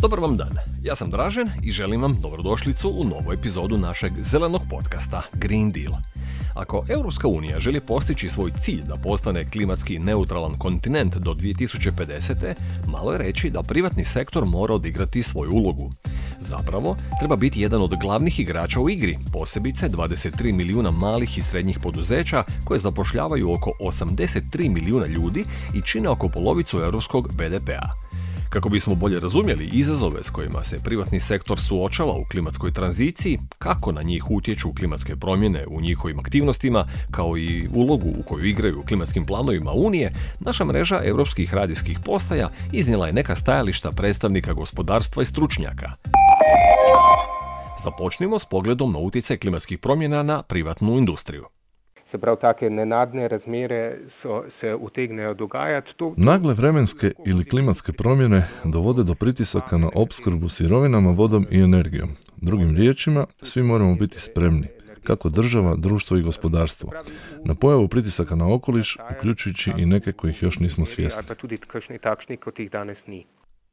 Dobar vam dan, ja sam Dražen i želim vam dobrodošlicu u novu epizodu našeg zelenog podcasta Green Deal. Ako Europska unija želi postići svoj cilj da postane klimatski neutralan kontinent do 2050. malo je reći da privatni sektor mora odigrati svoju ulogu. Zapravo, treba biti jedan od glavnih igrača u igri, posebice 23 milijuna malih i srednjih poduzeća koje zapošljavaju oko 83 milijuna ljudi i čine oko polovicu europskog BDP-a. Kako bismo bolje razumjeli izazove s kojima se privatni sektor suočava u klimatskoj tranziciji, kako na njih utječu klimatske promjene u njihovim aktivnostima, kao i ulogu u koju igraju u klimatskim planovima Unije, naša mreža europskih radijskih postaja iznijela je neka stajališta predstavnika gospodarstva i stručnjaka. Započnimo s pogledom na utjecaj klimatskih promjena na privatnu industriju. Se pravi, take nenadne razmere se utegnejo dogajati. Nagle vremenske ili klimatske promjene dovode do pritisaka na opskrbu sirovinama, vodom i energijom. Drugim riječima, svi moramo biti spremni, kako država, društvo i gospodarstvo, na pojavu pritisaka na okoliš, uključujući i neke kojih još nismo svjesni.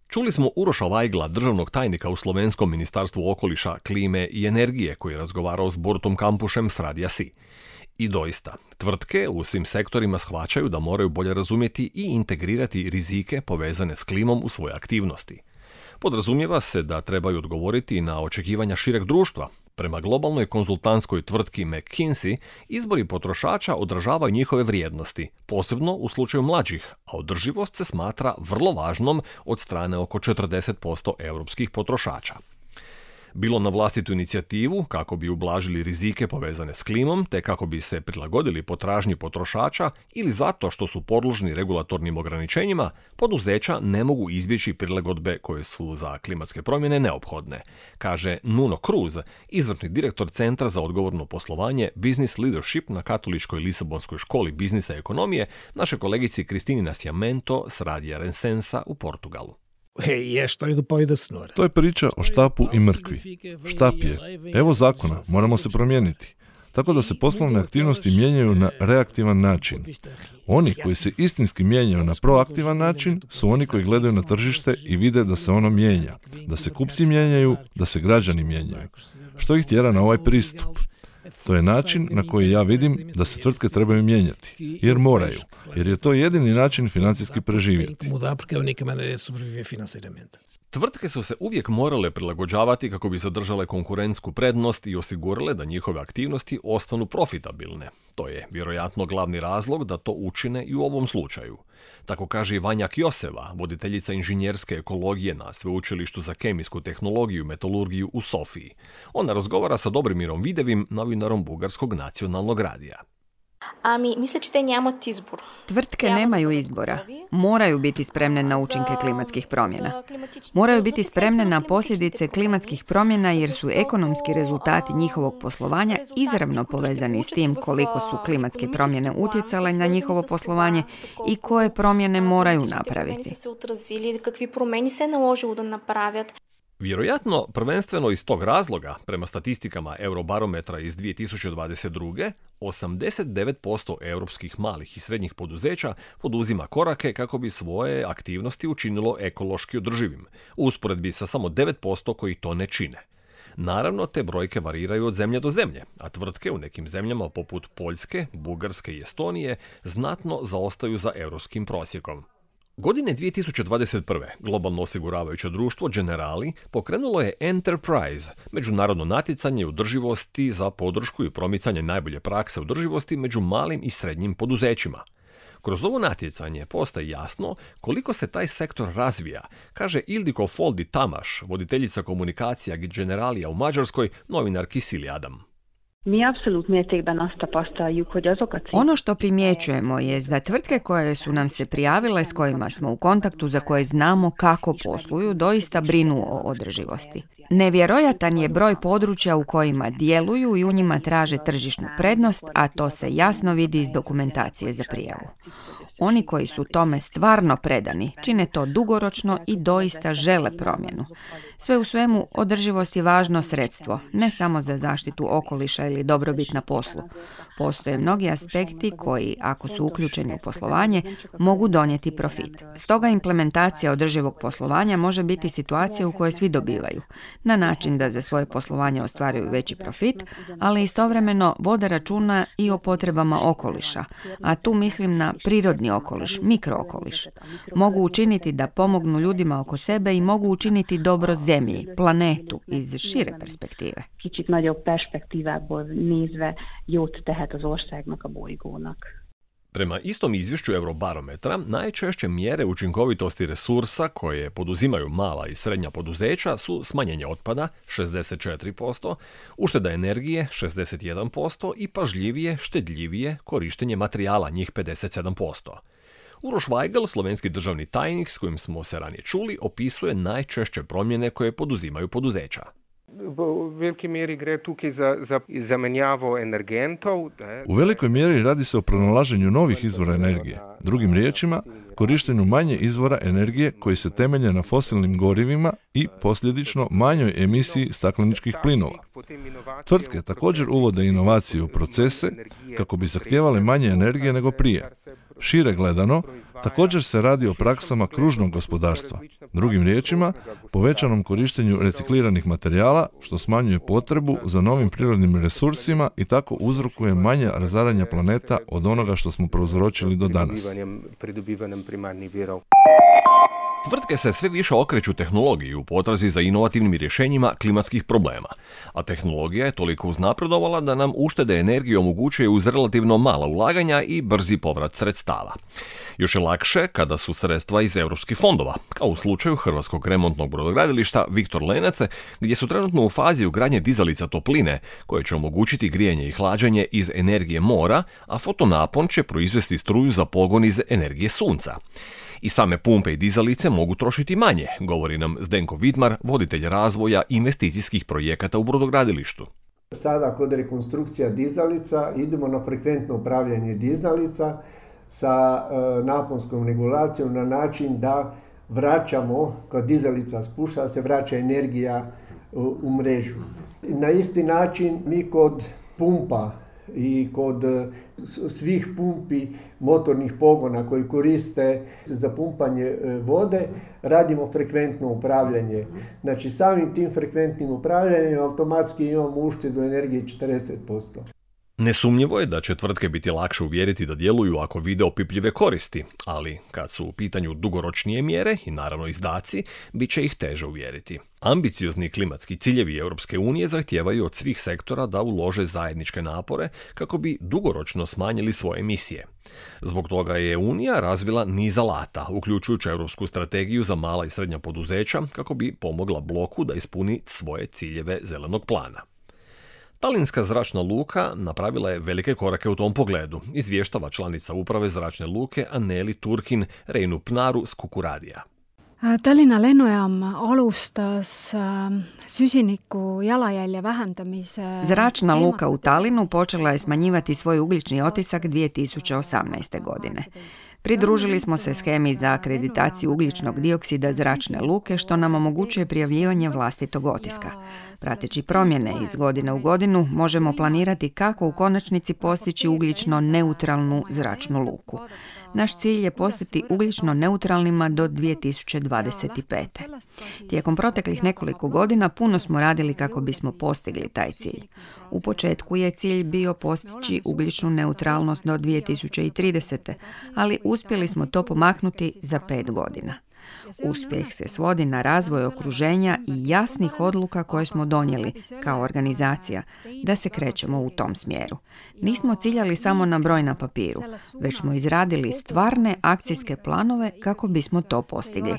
Čuli smo Uroša Vajgla, državnog tajnika u Slovenskom ministarstvu okoliša, klime i energije, koji je razgovarao s Borutom Kampušem s Radija Si. I doista, tvrtke u svim sektorima shvaćaju da moraju bolje razumjeti i integrirati rizike povezane s klimom u svoje aktivnosti. Podrazumijeva se da trebaju odgovoriti na očekivanja šireg društva. Prema globalnoj konzultantskoj tvrtki McKinsey, izbori potrošača odražavaju njihove vrijednosti, posebno u slučaju mlađih, a održivost se smatra vrlo važnom od strane oko 40% europskih potrošača. Bilo na vlastitu inicijativu kako bi ublažili rizike povezane s klimom, te kako bi se prilagodili potražnji potrošača ili zato što su podložni regulatornim ograničenjima, poduzeća ne mogu izbjeći prilagodbe koje su za klimatske promjene neophodne, kaže Nuno Cruz, izvršni direktor Centra za odgovorno poslovanje Business Leadership na Katoličkoj Lisabonskoj školi biznisa i ekonomije, naše kolegici Kristini Nascimento s Radija Rensensa u Portugalu. To je priča o štapu i mrkvi. Štap je, evo zakona, moramo se promijeniti. Tako da se poslovne aktivnosti mijenjaju na reaktivan način. Oni koji se istinski mijenjaju na proaktivan način su oni koji gledaju na tržište i vide da se ono mijenja, da se kupci mijenjaju, da se građani mijenjaju. Što ih tjera na ovaj pristup? To je način na koji ja vidim da se tvrtke trebaju mijenjati, jer moraju, jer je to jedini način financijski preživjeti. Tvrtke su se uvijek morale prilagođavati kako bi zadržale konkurentsku prednost i osigurile da njihove aktivnosti ostanu profitabilne. To je vjerojatno glavni razlog da to učine i u ovom slučaju. Tako kaže i Vanja Kjoseva, voditeljica inženjerske ekologije na Sveučilištu za kemijsku tehnologiju i metalurgiju u Sofiji. Ona razgovara sa Dobrimirom Videvim, novinarom Bugarskog nacionalnog radija. Tvrtke nemaju izbora. Moraju biti spremne na učinke klimatskih promjena. Moraju biti spremne na posljedice klimatskih promjena jer su ekonomski rezultati njihovog poslovanja izravno povezani s tim koliko su klimatske promjene utjecale na njihovo poslovanje i koje promjene moraju napraviti. Vjerojatno, prvenstveno iz tog razloga, prema statistikama Eurobarometra iz 2022. 89% europskih malih i srednjih poduzeća poduzima korake kako bi svoje aktivnosti učinilo ekološki održivim, u usporedbi sa samo 9% koji to ne čine. Naravno, te brojke variraju od zemlje do zemlje, a tvrtke u nekim zemljama poput Poljske, Bugarske i Estonije znatno zaostaju za europskim prosjekom. Godine 2021. globalno osiguravajuće društvo Generali pokrenulo je Enterprise, međunarodno natjecanje održivosti za podršku i promicanje najbolje prakse održivosti među malim i srednjim poduzećima. Kroz ovo natjecanje postaje jasno koliko se taj sektor razvija, kaže Ildiko Foldi Tamaš, voditeljica komunikacija Generalija u Mađarskoj, novinar Kisili Adam. Ono što primjećujemo je da tvrtke koje su nam se prijavile, s kojima smo u kontaktu, za koje znamo kako posluju, doista brinu o održivosti. Nevjerojatan je broj područja u kojima djeluju i u njima traže tržišnu prednost, a to se jasno vidi iz dokumentacije za prijavu. Oni koji su tome stvarno predani, čine to dugoročno i doista žele promjenu. Sve u svemu, održivost je važno sredstvo, ne samo za zaštitu okoliša ili dobrobit na poslu. Postoje mnogi aspekti koji, ako su uključeni u poslovanje, mogu donijeti profit. Stoga implementacija održivog poslovanja može biti situacija u kojoj svi dobivaju, na način da za svoje poslovanje ostvaruju veći profit, ali istovremeno vode računa i o potrebama okoliša, a tu mislim na prirodni okoliš, mikrookoliš. Mogu učiniti da pomognu ljudima oko sebe i mogu učiniti dobro zemlji, planetu iz šire perspektive. Kicsit nagyobb perspektívából nézve jót tehet az országnak, a bolygónak. Prema istom izvješću Eurobarometra, najčešće mjere učinkovitosti resursa koje poduzimaju mala i srednja poduzeća su smanjenje otpada 64%, ušteda energije 61% i pažljivije, štedljivije korištenje materijala njih 57%. Uroš Vajgl, slovenski državni tajnik s kojim smo se ranije čuli, opisuje najčešće promjene koje poduzimaju poduzeća. V veliki meri gre tukaj za zamenjavo energentov. U velikoj mjeri radi se o pronalaženju novih izvora energije. Drugim riječima, korištenju manje izvora energije koji se temelje na fosilnim gorivima i posljedično manjoj emisiji stakleničkih plinova. Tvrtke također uvode inovacije u procese kako bi zahtijevale manje energije nego prije. Šire gledano, također se radi o praksama kružnog gospodarstva. Drugim riječima, povećanom korištenju recikliranih materijala, što smanjuje potrebu za novim prirodnim resursima i tako uzrokuje manje razaranja planeta od onoga što smo prouzročili do danas. Tvrtke se sve više okreću tehnologiji u potrazi za inovativnim rješenjima klimatskih problema, a tehnologija je toliko uznapredovala da nam uštede energije omogućuje uz relativno mala ulaganja i brzi povrat sredstava. Još je lakše kada su sredstva iz europskih fondova, kao u slučaju Hrvatskog remontnog brodogradilišta Viktor Lenac, gdje su trenutno u fazi ugradnje dizalica topline, koje će omogućiti grijanje i hlađenje iz energije mora, a fotonapon će proizvesti struju za pogon iz energije sunca. I same pumpe i dizalice mogu trošiti manje, govori nam Zdenko Vidmar, voditelj razvoja investicijskih projekata u brodogradilištu. Sada kod rekonstrukcija dizalica idemo na frekventno upravljanje dizalica sa naponskom regulacijom na način da vraćamo, kad dizalica spušta, se vraća energija u mrežu. Na isti način mi kod pumpa i kod svih pumpi motornih pogona koji koriste za pumpanje vode radimo frekventno upravljanje. Znači samim tim frekventnim upravljanjem automatski imamo uštedu energije 40%. Nesumnjivo je da će tvrtke biti lakše uvjeriti da djeluju ako vide opipljive koristi, ali kad su u pitanju dugoročnije mjere i naravno izdaci, bit će ih teže uvjeriti. Ambiciozni klimatski ciljevi Europske unije zahtijevaju od svih sektora da ulože zajedničke napore kako bi dugoročno smanjili svoje emisije. Zbog toga je Unija razvila niz alata, uključujući Europsku strategiju za mala i srednja poduzeća kako bi pomogla bloku da ispuni svoje ciljeve zelenog plana. Talinska zračna luka napravila je velike korake u tom pogledu, izvještava članica uprave zračne luke Anneli Turkin Reinu Pnaru s Kukuradija. Tallinna lennujaam alustas süsiniku jalajälje vähendamise. Zračna luka u Talinu počela je smanjivati svoj ugljični otisak 2018. godine. Pridružili smo se shemi za akreditaciju ugljičnog dioksida zračne luke, što nam omogućuje prijavljivanje vlastitog otiska. Prateći promjene iz godine u godinu, možemo planirati kako u konačnici postići ugljično neutralnu zračnu luku. Naš cilj je postati ugljično neutralnima do 2025. Tijekom proteklih nekoliko godina puno smo radili kako bismo postigli taj cilj. U početku je cilj bio postići ugljičnu neutralnost do 2030. ali uspjeli smo to pomaknuti za 5 godina. Uspjeh se svodi na razvoj okruženja i jasnih odluka koje smo donijeli kao organizacija da se krećemo u tom smjeru. Nismo ciljali samo na broj na papiru, već smo izradili stvarne akcijske planove kako bismo to postigli.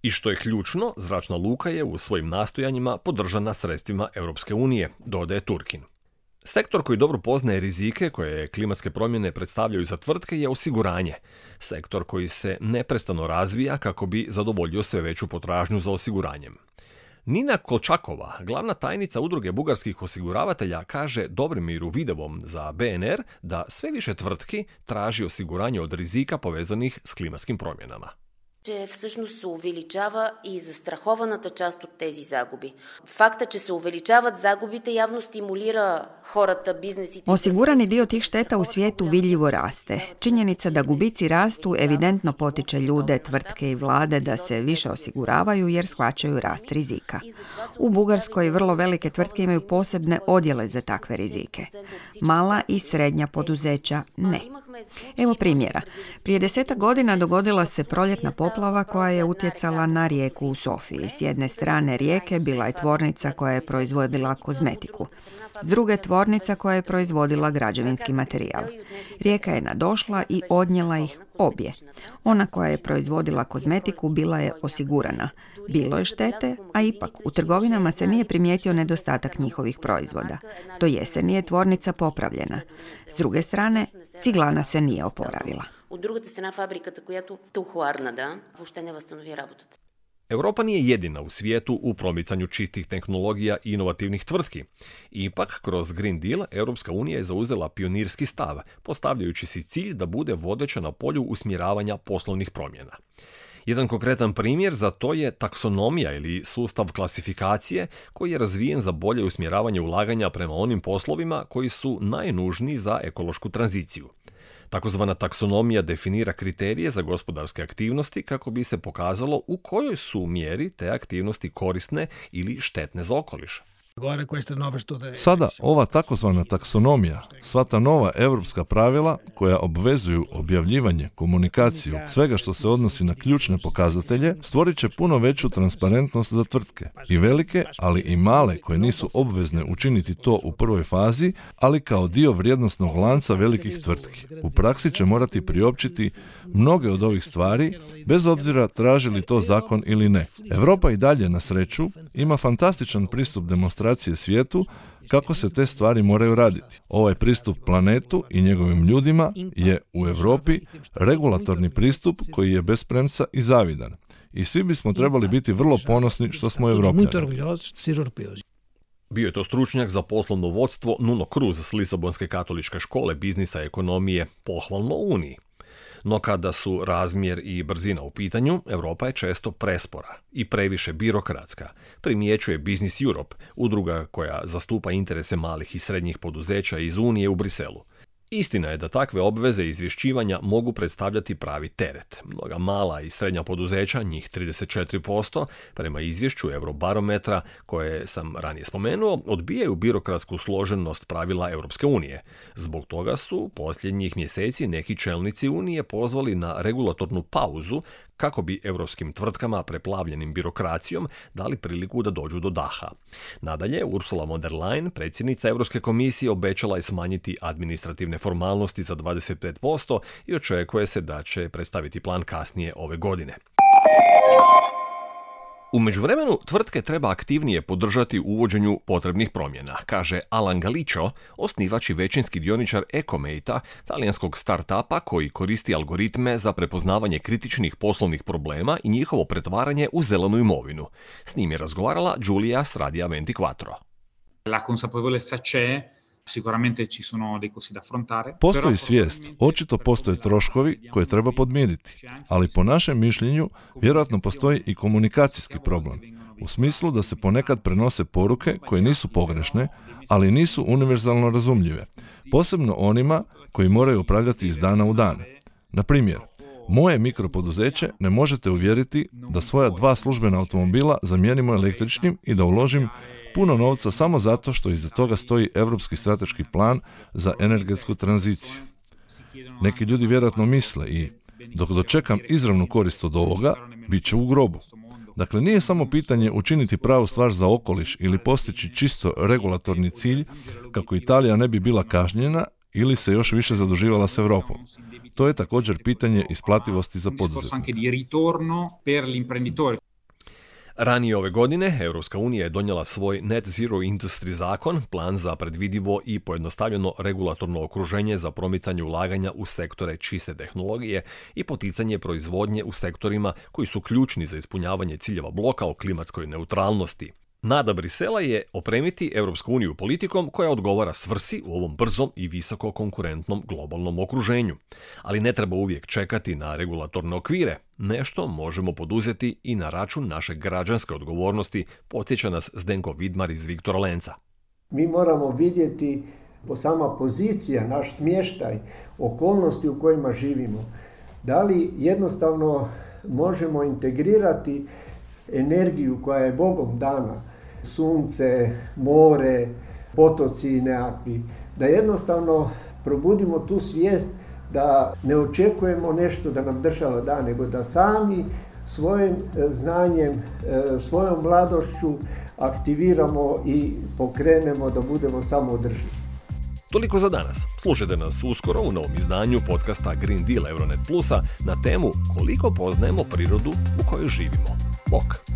I što je ključno, zračna luka je u svojim nastojanjima podržana sredstvima Europske unije, dodaje Turkin. Sektor koji dobro poznaje rizike koje klimatske promjene predstavljaju za tvrtke je osiguranje. Sektor koji se neprestano razvija kako bi zadovoljio sve veću potražnju za osiguranjem. Nina Kolčakova, glavna tajnica udruge bugarskih osiguravatelja, kaže Dobrimiru Videvom za BNR da sve više tvrtki traži osiguranje od rizika povezanih s klimatskim promjenama. Че всъщност се увеличава и застрахованата част от тези загуби. Факта, че се увеличават загубите, явно стимулира хората, бизнесите. Osigurani dio tih šteta u svijetu vidljivo raste. Činjenica da gubici rastu evidentno potiče ljude, tvrtke i vlade da se više osiguravaju jer shvaćaju rast rizika. U Bugarskoj vrlo velike tvrtke imaju posebne odjele za takve rizike. Mala i srednja poduzeća ne. Evo primjera. Prije 10 godina dogodila se proljetna poplava koja je utjecala na rijeku u Sofiji. S jedne strane rijeke bila je tvornica koja je proizvodila kozmetiku. S druge tvornica koja je proizvodila građevinski materijal. Rijeka je nadošla i odnijela ih obje. Ona koja je proizvodila kozmetiku bila je osigurana. Bilo je štete, a ipak u trgovinama se nije primijetio nedostatak njihovih proizvoda. Do jeseni je tvornica popravljena. S druge strane, ciglana se nije oporavila. От другата страна фабриката, която тухларна, въобще не възстанови работата. Europa nije jedina u svijetu u promicanju čistih tehnologija i inovativnih tvrtki. Ipak, kroz Green Deal, Europska unija je zauzela pionirski stav, postavljajući si cilj da bude vodeća na polju usmjeravanja poslovnih promjena. Jedan konkretan primjer za to je taksonomija ili sustav klasifikacije koji je razvijen za bolje usmjeravanje ulaganja prema onim poslovima koji su najnužniji za ekološku tranziciju. Takozvana taksonomija definira kriterije za gospodarske aktivnosti kako bi se pokazalo u kojoj su mjeri te aktivnosti korisne ili štetne za okoliš. Sada ova takozvana taksonomija, sva ta nova europska pravila koja obvezuju objavljivanje, komunikaciju, svega što se odnosi na ključne pokazatelje, stvorit će puno veću transparentnost za tvrtke. I velike, ali i male koje nisu obvezne učiniti to u prvoj fazi, ali kao dio vrijednosnog lanca velikih tvrtki. U praksi će morati priopćiti mnoge od ovih stvari, bez obzira traži li to zakon ili ne. Europa i dalje, na sreću, ima fantastičan pristup demonstracije svijetu kako se te stvari moraju raditi. Ovaj pristup planetu i njegovim ljudima je u Europi regulatorni pristup koji je bez premca i zavidan. I svi bismo trebali biti vrlo ponosni što smo Europljani. Bio je to stručnjak za poslovno vodstvo Nuno Cruz s Lisabonske katoličke škole biznisa i ekonomije, pohvalno Uniji. No kada su razmjer i brzina u pitanju, Europa je često prespora i previše birokratska, primjećuje Business Europe, udruga koja zastupa interese malih i srednjih poduzeća iz Unije u Briselu. Istina je da takve obveze izvješćivanja mogu predstavljati pravi teret. Mnoga mala i srednja poduzeća, njih 34%, prema izvješću Eurobarometra, koje sam ranije spomenuo, odbijaju birokratsku složenost pravila Europske unije. Zbog toga su posljednjih mjeseci neki čelnici Unije pozvali na regulatornu pauzu kako bi europskim tvrtkama preplavljenim birokracijom dali priliku da dođu do daha. Nadalje, Ursula von der Leyen, predsjednica Europske komisije, obećala je smanjiti administrativne formalnosti za 25% i očekuje se da će predstaviti plan kasnije ove godine. U međuvremenu, tvrtke treba aktivnije podržati u uvođenju potrebnih promjena, kaže Alan Galicio, osnivač i većinski dioničar Ecomate-a, talijanskog start-upa koji koristi algoritme za prepoznavanje kritičnih poslovnih problema i njihovo pretvaranje u zelenu imovinu. S njim je razgovarala Giulia s Radija 24. La consapevolezza c'è. Sicuramente ci sono dei costi da affrontare. Postoji svijest, očito postoje troškovi koje treba podmiriti, ali po našem mišljenju vjerojatno postoji i komunikacijski problem, u smislu da se ponekad prenose poruke koje nisu pogrešne, ali nisu univerzalno razumljive, posebno onima koji moraju upravljati iz dana u dan. Na primjer, moje mikropoduzeće ne možete uvjeriti da svoja 2 službena automobila zamijenimo električnim i da uložim puno novca samo zato što iza toga stoji Europski strateški plan za energetsku tranziciju. Neki ljudi vjerojatno misle i dok dočekam izravnu korist od ovoga, bit će u grobu. Dakle, nije samo pitanje učiniti pravu stvar za okoliš ili postići čisto regulatorni cilj kako Italija ne bi bila kažnjena ili se još više zaduživala s Europom. To je također pitanje isplativosti za poduzetnike. Ranije ove godine Europska unija je donijela svoj Net Zero Industry zakon, plan za predvidivo i pojednostavljeno regulatorno okruženje za promicanje ulaganja u sektore čiste tehnologije i poticanje proizvodnje u sektorima koji su ključni za ispunjavanje ciljeva bloka o klimatskoj neutralnosti. Nada Brisela je opremiti Europsku uniju politikom koja odgovara svrsi u ovom brzom i visoko konkurentnom globalnom okruženju. Ali ne treba uvijek čekati na regulatorne okvire. Nešto možemo poduzeti i na račun naše građanske odgovornosti, podsjeća nas Zdenko Vidmar iz Viktora Lenca. Mi moramo vidjeti sama pozicija, naš smještaj, okolnosti u kojima živimo. Da li jednostavno možemo integrirati energiju koja je Bogom dana, sunce, more, potoci nekakvi, da jednostavno probudimo tu svijest da ne očekujemo nešto da nam država da, nego da sami svojim znanjem, svojom mladošću aktiviramo i pokrenemo da budemo samoodrživi. Toliko za danas. Slušajte nas uskoro u novom izdanju podcasta Green Deal Euronet Plusa na temu koliko poznajemo prirodu u kojoj živimo. Bok!